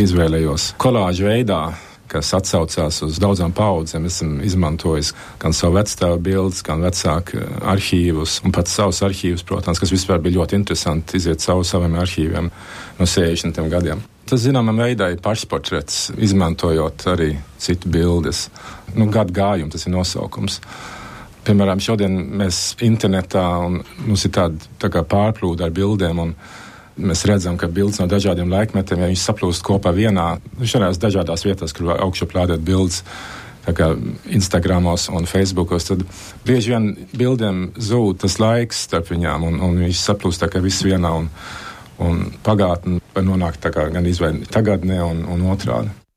izvēlējos kolāžu veidā, kas atsaucās uz daudzām paudzēm. Esmu izmantojis gan savu vecstāvu bildes, gan vecāku arhīvus, un pats savus arhīvus, protams, kas vispār bija ļoti interesanti iziet saviem arhīviem no 60. gadiem. Tas, zināmā veidā, ir pašportrets, izmantojot arī citu bildes. Gadu gājumu, tas ir nosaukums. Piemēram, šodien mēs internetā, un mums ir tā kā pārplūda ar bildēm, un mēs redzam, ka bildes no dažādiem laikmetiem, ja viņas saplūst kopā vienā, šādās dažādās vietās, kur augšu plādēt bildes, tā kā Instagramos un Facebookos, tad bieži vien bildēm zūd tas laiks starp viņām, un viņas saplūst tā kā viss vienā, un pagātne var nonākt tā kā gan izvēl tagadnē un otrādi.